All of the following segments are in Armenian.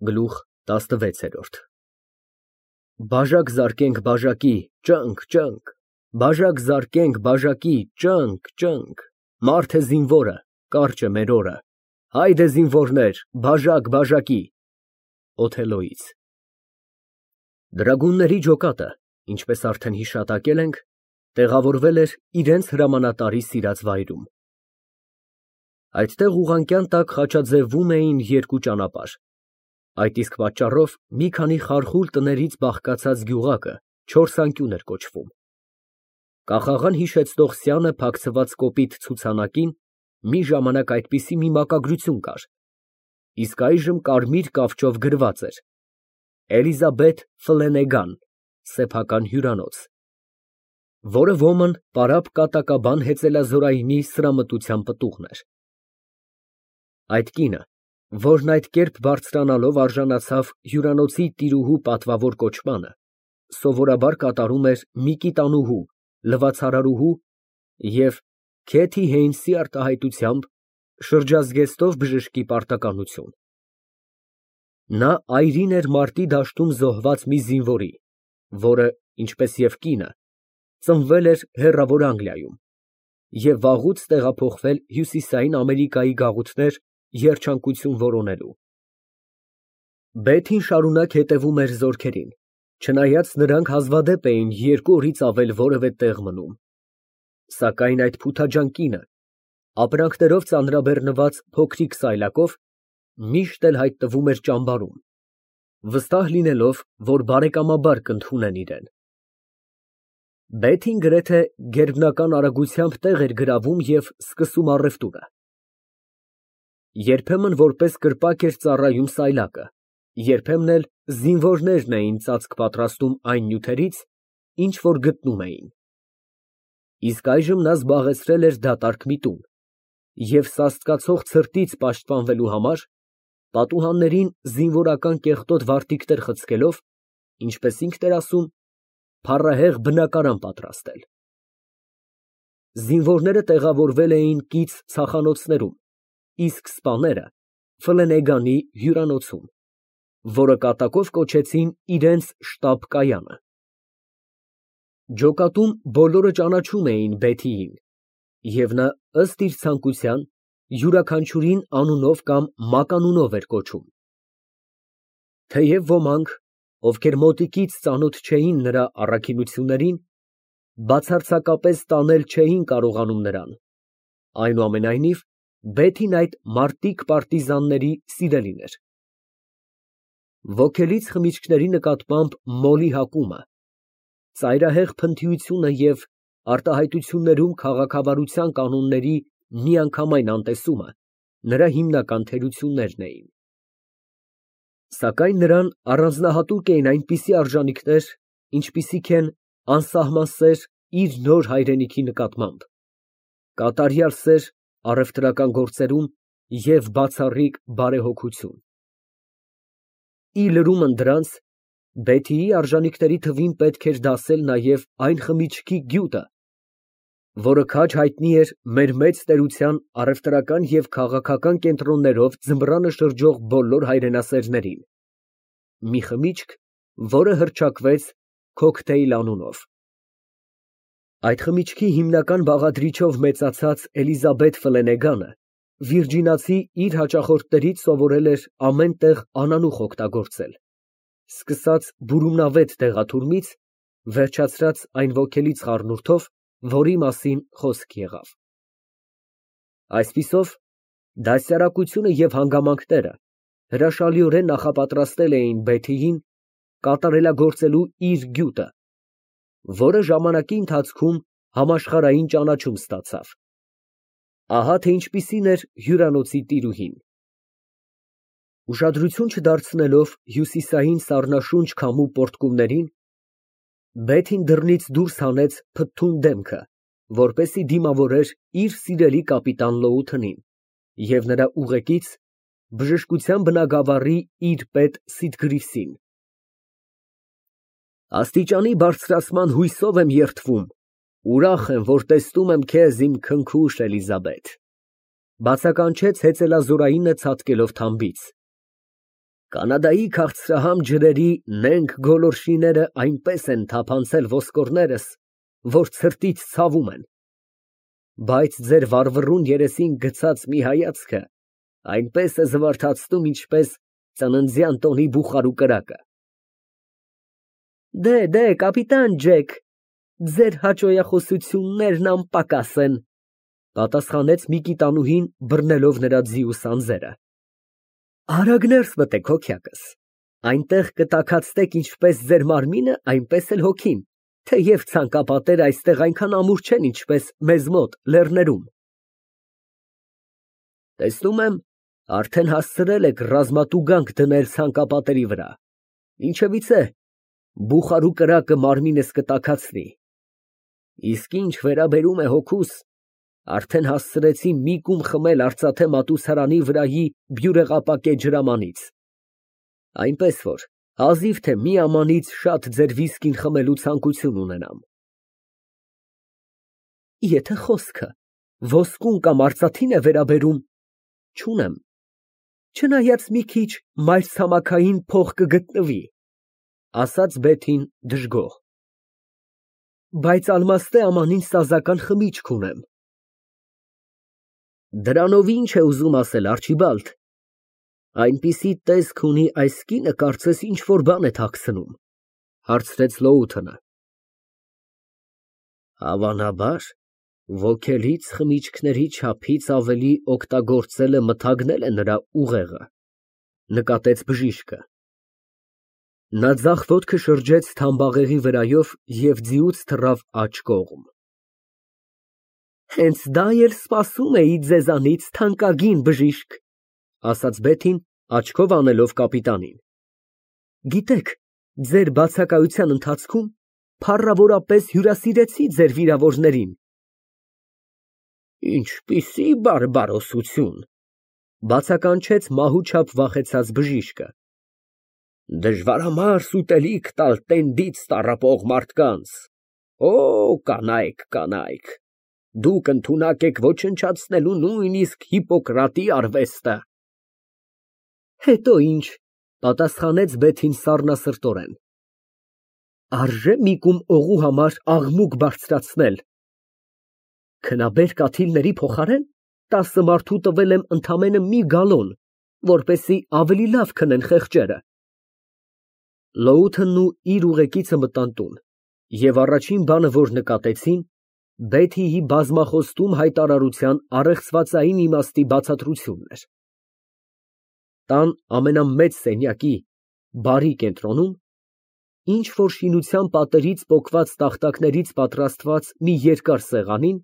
Գլուխ տասնվեցերորդ Բաժակ զարկենք բաժակի, ճընկ, ճընկ, բաժակ զարկենք բաժակի, ճընկ, ճընկ, մարդ է զինվորը, կարճ է մեր օրը, հայր է զինվորներ, բաժակ բաժակի։ Օթելլոյից Դրագունների ջոկատը, ինչպես արդեն հիշատակել ենք, տեղավորվել էր իրենց հրամանատարի սիրած վայրում։ Այդտեղ ուղղանկյան տակ խաչաձևվում էին երկու ճանապարհ։ Այդ իսկ պատճառով մի քանի խարխուլ տներից բաղկացած գյուղակը չորսանկյուն էր կոչվում։ Կախաղան հիշեցնող սյանը փակցված կոպիտ ցուցանակին մի ժամանակ այդպիսի մի մակագրություն կար, իսկ այժմ կարմիր կավճով գրված էր. Էլիզաբեթ Ֆլենեգան, սեփական հյուրանոց, որը ոմն պարապ կատակաբան հեծելազորայինի սրամտության պտուղն էր։ Այդ կինը, որն այդ կերպ բարձրանալով արժանացավ հյուրանոցի տիրուհու պատվավոր կոչմանը, սովորաբար կատարում էր Միկիտանուհու, լվացարարուհու և Քեթի Հեյնսի արտահայտությամբ շրջազգեստով բժշկի պարտականություն։ Նա այրին էր մարտի դաշտում զոհված մի զինվորի, որը, ինչպես և կինը, ծնվել էր հեռավոր Անգլիայում և վաղուց տեղափոխվել Հյուսիսային Ամերիկայի գաղութներ երջանկություն որոնելու։ Բեթին շարունակ հետևում էր զորքերին, չնայած նրանք հազվադեպ էին 2 օրից ավել որևէ տեղ մնում։ Սակայն այդ փութաջան կինը, ապրանքներով ծանրաբեռնված փոքրիկ սայլակով, միշտ էլ հայտնվում էր ճամբարում, վստահ լինելով, որ բարեկամաբար կընդունեն իրեն։ Բեթին գրեթե գերբնական արագությամբ տեղ էր գրավում և սկսում առևտուրը։ Երբեմն որպես կրպակ էր ծառայում սայլակը, երբեմն էլ զինվորներն էին ծածկ պատրաստում այն նյութերից, ինչ որ գտնում էին։ Իսկ այժմ նա զբաղեցրել էր դատարկ մի տուն և սաստկացող ցրտից պաշտպանվելու համար պատուհաններին զինվորական կեղտոտ վարտիքներ խցկելով, ինչպես ինքն էր ասում, փառահեղ բնակարան պատրաստել։ Զինվորները տեղավորվել էին կից ցախանոցներում, իսկ սպաները Ֆլենեգանի հյուրանոցում, որը կատակով կոչեցին իրենց շտաբ֊կայանը։ Ջոկատում բոլորը ճանաչում էին Բեթիին, և նա, ըստ իր ցանկության, յուրաքանչյուրին անունով կամ մականունով էր կոչում։ Թեև ոմանք, ովքեր մոտիկից ծանոթ չէին նրա առաքինություններին, բացարձակապես տանել չէին կարողանում նրան, այնուամենայնիվ Բեթին այդ մարտիկ պարտիզանների սիրելին էր։ Ոգելից խմիչքների նկատմամբ մոլի հակումը, ծայրահեղ փնթիությունը և արտահայտություններում քաղաքավարության կանոնների միանգամայն անտեսումը նրա հիմնական թերություններն էին։ Սակայն նրան առանձնահատուկ էին այնպիսի արժանինքներ, ինչպիսիք են անսահման սեր իր նոր հայրենիքի նկատմամբ, կատարյալ սեր առևտրական գործերում և բացառիկ բարեհոգություն։ Ի լրումն դրանց, Բեթիի արժանինքների թվին պետք էր դասել նաև այն խմիչքի գյուտը, որը քաջ հայտնի էր մեր մեծ տերության առևտրական և քաղաքական կենտրոններով ձմռանը շրջող բոլոր հայրենասերներին, մի խմիչք, որը հռչակվեց քոքթեյլ անունով։ Այդ խմիչքի հիմնական բաղադրիչով մեծացած Էլիզաբեթ Ֆլենեգանը վիրջինացի իր հաճախորդներից սովորել էր ամեն տեղ անանուխ օգտագործել, սկսած բուրումնավետ դեղաթուրմից, վերջացրած այն ոգելից խառնուրդով, որի մասին խոսք եղավ։ Այսպիսով, դասյարակությունը և հանգամանքները հրաշալիորեն նախապատրաստել էին Բեթիին կատարելագործելու իր գյուտը, որը ժամանակի ընթացքում համաշխարհային ճանաչում ստացավ։ Ահա թե ինչպիսին էր հյուրանոցի տիրուհին։ Ուշադրություն չդարձնելով հյուսիսային սառնաշունչ քամու պոռթկումներին, Բեթին դռնից դուրս հանեց փթթուն դեմքը, որպեսզի դիմավորեր իր սիրելի կապիտան Լոութընին և նրա ուղեկից, բժշկության բնագավառի իր պետ Սիտգրիվսին։ Աստիճանի բարձրացման հույսով եմ երդվում, ուրախ եմ, որ տեսնում եմ քեզ, իմ քնքուշ Էլիզաբեթ, բացականչեց հեծելազորայինը ցատկելով թամբից։ Կանադայի քաղցրահամ ջրերի նենգ գոլորշիները այնպես են թափանցել ոսկորներս, որ ցրտից ցավում են, բայց ձեր վառվռուն երեսին գցած մի հայացքը այնպես է զվարթացնում, ինչպես ծննդյան տոնի բուխարու կրակը։ Դե, կապիտան Ջեք, ձեր հաճոյախոսություններն անպակաս են, պատասխանեց Միկիտանուհին, բռնելով նրա ձիու սանձերը։ Արագ ներս մտեք, հոգյակս, այնտեղ կտաքացնեք ինչպես ձեր մարմինը, այնպես էլ հոգին, թեև ցանկապատերը այստեղ այնքան ամուր չեն, ինչպես մեզ մոտ լեռներում։ Տեսնում եմ, արդեն հասցրել եք ռազմատուգանք դնել ցանկապատերի վրա, ինչևիցե, բուխարու կրակը մարմինս կտաքացնի, իսկ ինչ վերաբերում է հոգուս, արդեն հասցրեցի մի կում խմել արծաթե մատուցարանի վրայի բյուրեղապակե ջրամանից, այնպես որ հազիվ թե մի ամանից շատ ձեր վիսկին խմելու ցանկություն ունենամ։ Եթե խոսքը ոսկուն կամ արծաթին է վերաբերում, չունեմ, չնայած մի քիչ մայրցամաքային փող կգտնվի, ասաց Բեթին դժգոհ, բայց ալմաստե ամանին սազական խմիչք ունեմ։ Դրանով ինչ է ուզում ասել, Արչիբալդ, այնպիսի տեսք ունի այս կինը, կարծես ինչ-որ բան է թաքցնում, հարցրեց Լոութոնը։ Հավանաբար, ոգելից խմիչքների չափից ավելի օգտագործելը մթագնել է նրա ուղեղը, նկատեց բժիշկը։ Նա ձախ ոտքը շրջեց թամբաղեղի վրայով և ձիուց թռավ աջ կողմ։ Հենց դա էլ սպասում էի ձեզանից, թանկագին բժիշկ, ասաց Բեթին, աչքով անելով կապիտանին։ Գիտեք, ձեր բացակայության ընթացքում փառավորապես հյուրասիրեցի ձեր վիրավորներին։ Ինչպիսի բարբարոսություն, բացականչեց մահու չափ վախեցած բժիշկը։ Դժվարամարս ուտելիք տալ տենդից տառապող մարդկանց։ Օ, կանայք, դուք ընդունակ եք ոչնչացնելու նույնիսկ Հիպոկրատի արվեստը։ Հետո ինչ, պատասխանեց Բեթին սառնասրտորեն։ Արժե մի կում օղու համար աղմուկ բարձրացնել։ Քնաբեր կաթիլների փոխարեն 10 մարդու տվել եմ ընդամենը մի գալոն, որպեսզի ավելի լավ քնեն խեղճերը։ Լոութոնն ու իր ուղեկիցը մտան տուն, և առաջին բանը, որ նկատեցին, Բեթիի բազմախոստում հայտարարության առեղծվածային իմաստի բացատրությունն էր։ Տան ամենամեծ սենյակի բարի կենտրոնում ինչ-որ շինության պատերից պոկված տախտակներից պատրաստված մի երկար սեղանին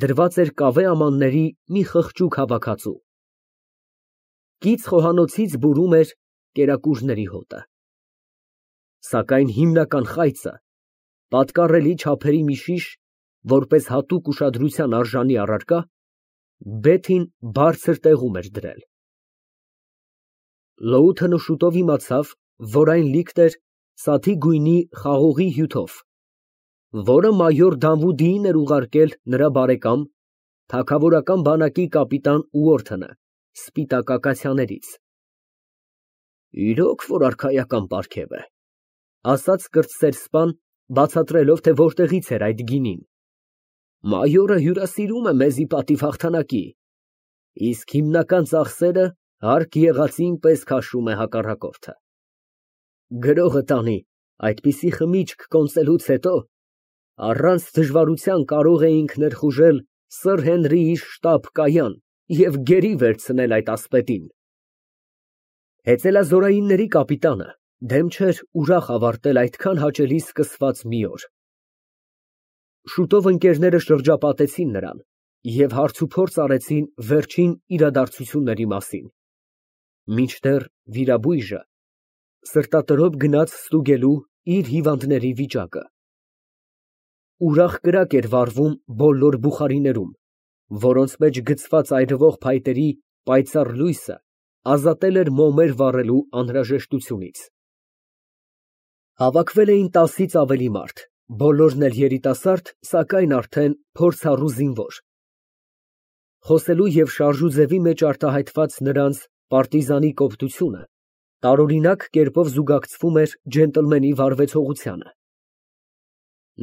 դրված էր կավե ամանների մի խղճուկ հավաքածու։ Կից խոհանոցից բուրում էր կերակուրների հոտը։ Սակայն հիմնական խայծը, պատկառելի չափերի մի շիշ, որպես հատուկ ուշադրության արժանի առարկա, Բեթին բարձր տեղում էր դրել։ Լոութոնը շուտով իմացավ, որ այն լիքտ էր սաթի գույնի խաղողի հյութով, որը մայոր Դանվուդիին էր ուղարկել նրա բարեկամ, թագավորական բանակի կապիտան Ուորթոնը, սպիտակ ակացիաներից։ Իրոք որ արքայական պարգև է, ասաց կրտսեր սպան, բացատրելով, թե որտեղից էր այդ գինին։ Մայորը հյուրասիրում է մեզի պատիվ հաղթանակի, իսկ հիմնական ծախսերը հարկ եղածին պես քաշում է հակառակորդը։ Գրողը տանի, այդպիսի խմիչք կոնծելուց հետո առանց դժվարության կարող էինք ներխուժել Սըր Հենրիի շտաբ կայան և գերի վերցնել այդ ասպետին։ Հեծելազորայինների կապիտանը դեմ չէր ուրախ ավարտել այդքան հաճելի սկսված մի օր։ Շուտով ընկերները շրջապատեցին նրան և հարցուփորձ արեցին վերջին իրադարձությունների մասին, մինչդեռ վիրաբույժը սրտատրոփ գնաց ստուգելու իր հիվանդների վիճակը։ Ուրախ կրակ էր վառվում բոլոր բուխարիներում, որոնց մեջ գցված այրվող փայտերի պայծառ լույսը ազատել էր մոմեր վառելու անհրաժեշտությունից։ Հավաքվել էին 10-ից ավելի մարդ, բոլորն էլ երիտասարդ, սակայն արդեն փորձառու զինվոր։ Խոսելու և շարժուձևի մեջ արտահայտված նրանց պարտիզանի կոպտությունը տարօրինակ կերպով զուգակցվում էր ջենտլմենի վարվեցողությանը։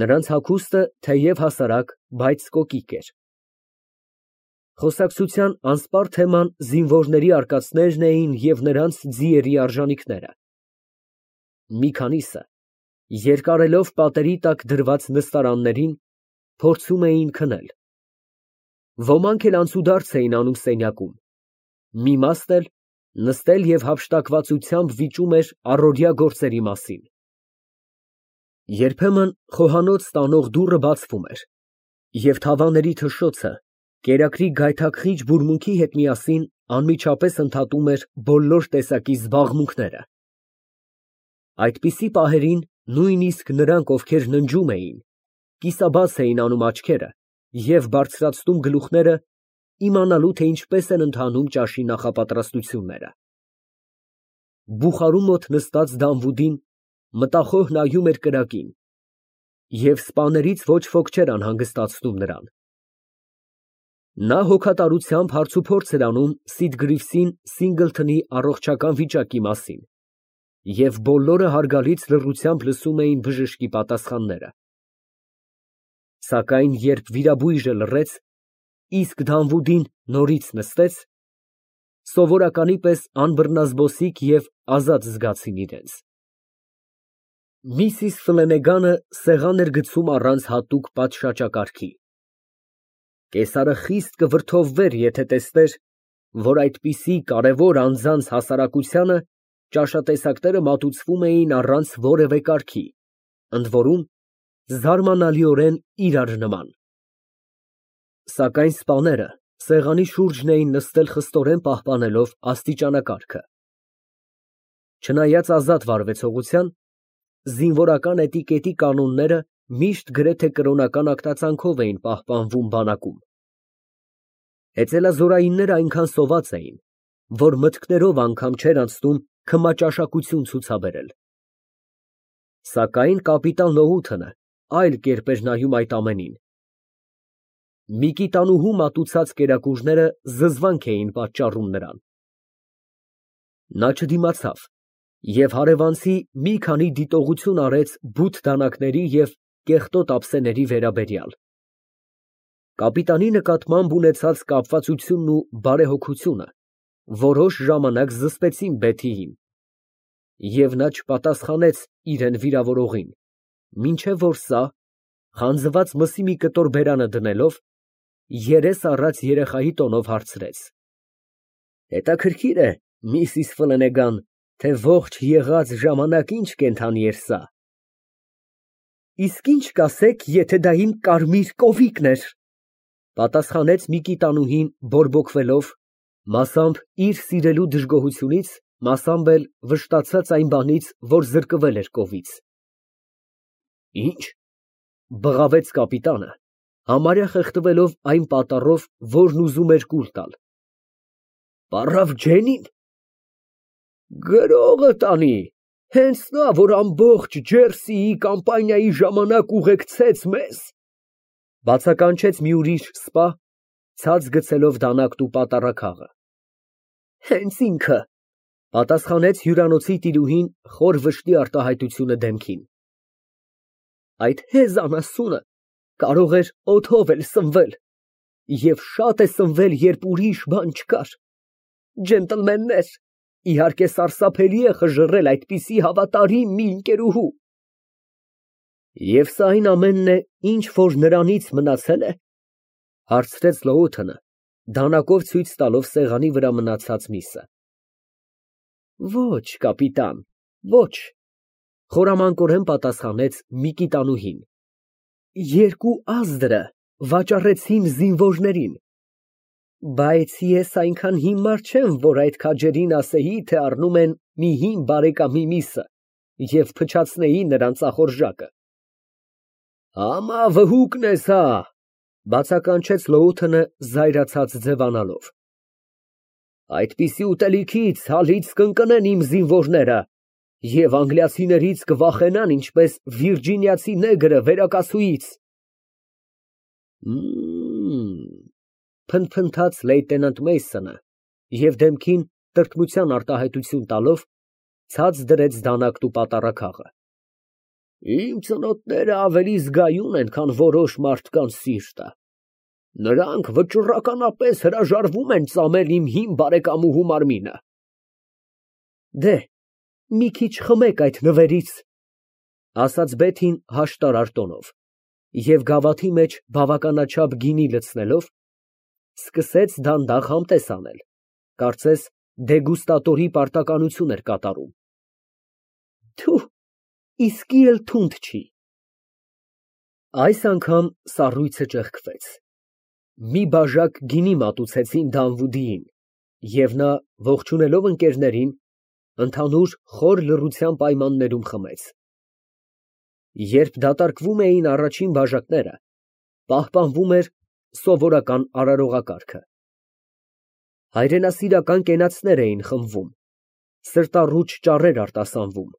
Նրանց հագուստը թեև հասարակ, բայց կոկիկ էր։ Խոսակցության անսպառ թեման զինվորների արկածներն էին և նրանց ձիերի արժանիքները։ Մի քանիսը, երկարելով պատերի տակ դրված նստարաններին, փորձում էին քնել։ Ոմանք էլ անցուդարձ էին անում սենյակում, մի մասն էլ նստել և հափշտակվածությամբ վիճում էր առօրյա գործերի մասին։ Երբեմն խոհանոց տանող դուռը բացվում էր, և թավաների թշշոցը կերակրի գայթակղիչ բուրմունքի հետ միասին անմիջապես ընդհատում էր բոլոր տեսակի զբաղմունքները։ Այդպիսի պահերին նույնիսկ նրանք, ովքեր ննջում էին, կիսաբաց էին անում աչքերը և բարձրացնում գլուխները, իմանալու, թե ինչպես են ընթանում ճաշի նախապատրաստությունները։ Բուխարու մոտ նստած Դանվուդին մտախոհ նայում էր կրակին, և սպաներից ոչ ոք չէր անհանգստացնում նրան։ Նա հոգատարությամբ հարցուփորձ էր անում Սիդգրիվսին Սինգլթոնի առողջական վիճակի մասին, և բոլորը հարգալից լռությամբ լսում էին բժշկի պատասխանները։ Սակայն երբ վիրաբույժը լռեց, իսկ Դանվուդին նորից նստեց, սովորականի պես անբռնազբոսիկ և ազատ զգացին իրենց։ Միսիս Ֆլենեգանը սեղան էր գցում առանց հատուկ պատշաճակարգի։ Կեսարը խիստ կվրդովվեր, եթե տեսներ, որ այդպիսի կարևոր անձանց հասարակությանը ճաշատեսակները մատուցվում էին առանց որևէ կարգի, ընդ որում, զարմանալիորեն իրար նման։ Սակայն սպաները սեղանի շուրջն էին նստել խստորեն պահպանելով աստիճանակարգը։ Չնայած ազատ վարվեցողության, զինվորական էտիկետի կանոնները միշտ գրեթե կրոնական ակտածանքով էին պահպանվում բանակում։ Հեծելազորայինները այնքան սոված էին, որ մտքներով անգամ չէր անցնում քմաճաշակություն ցուցաբերել։ Սակայն կապիտան Լոութոնը այլ կերպ էր նայում այդ ամենին։ Միկիտանուհու մատուցած կերակուրները զզվանք էին պատճառում նրան։ Նա չդիմացավ և հարևանցի մի քանի դիտողություն արեց բութ դանակների և կեղտոտ ափսեների վերաբերյալ։ Կապիտանի նկատմամբ ունեցած կապվածությունն ու բարեհոգությունը որոշ ժամանակ զսպեցին Բեթիին, և նա չպատասխանեց իրան վիրավորողին, մինչև որ սա, խանձված մսի մի կտոր բերանը դնելով, երես առած երեխայի տոնով հարցրեց. Հետաքրքիր է, Միսիս Ֆլենեգան, թե ողջ եղած ժամանակ ինչ կենդանի էր սա։ Իսկ ինչ կասեք, եթե դա իմ կարմիր կովիկն էր, պատասխանեց Միկիտանուհին բորբոքվելով, մասամբ իր սիրելու դժգոհությունից, մասամբ էլ վշտացած այն բանից, որ զրկվել էր կովից։ Ինչ, բղավեց կապիտանը, համարյա խեղդվելով այն պատառով, որն ուզում էր կուլ տալ։ Պառավ Ջենին։ Գրողը տանի, հենց նա, որ ամբողջ Ջերսիի կամպանիայի ժամանակ ուղեկցեց մեզ, բացականչեց մի ուրիշ սպա, ցած գցելով դանակն ու պատառաքաղը։ Հենց ինքը, պատասխանեց հյուրանոցի տիրուհին խոր վշտի արտահայտությունը դեմքին։ Այդ հեզ անասունը կարող էր օդով էլ սնվել, և շատ է սնվել, երբ ուրիշ բան չկար։ Ջենտլմեններ, իհարկե սարսափելի է խժռել այդպիսի հավատարիմ մի ընկերուհու։ Եվ սա այն ամենն է, ինչ որ նրանից մնացել է, հարցրեց Լոութոնը, դանակով ցույց տալով սեղանի վրա մնացած միսը։ Ոչ, կապիտան, ոչ, խորամանկորեն պատասխանեց Միկիտանուհին։ Երկու ազդրը վաճառեցին զինվորներին։ Բայց ես այնքան հիմար չեմ, որ այդ քաջերին ասեի, թե առնում են մի հին բարեկամի միսը և փչացնեի նրան ծախորժակը։ Համա վհուկն ես հա, բացականչեց Լոութոնը զայրացած ձևանալով։ Այդպիսի ուտելիքից հալից կընկնեն իմ զինվորները և անգլիացիներից կվախենան, ինչպես վիրջինիացի նեգրը վերակասուից։ Փնթփնթաց լեյտենանտ Մեյսոնը և դեմքին տրտմության արտահայտություն տալով Ցած դրեց դանակն ու պատառաքաղը։ Իմ ծնոտները ավելի զգայուն են, քան որոշ մարդկանց սիրտը։ Նրանք վճռականապես հրաժարվում են ծամել իմ հին բարեկամուհու մարմինը։ Դե, մի քիչ խմեք այդ նվերից, ասաց Բեթին հաշտարար տոնով, և գավաթի մեջ բավականաչափ գինի լցնելով, սկսեց դանդաղ համտես անել, կարծես դեգուստատորի պարտականություն էր կատարում։ Թուր, իսկի էլ թունդ չի։ Այս անգամ սառույցը ճեղքվեց։ Մի բաժակ գինի մատուցեցին Դանվուդիին, և նա, ողջունելով ընկերներին, ընդհանուր խոր լռության պայմաններում խմեց։ Երբ դատարկվում էին առաջին բաժակները, պահպանվում էր սովորական արարողակարգը։ Հայրենասիրական կենացներ էին խմվում, սրտառուչ ճառեր արտասանվում։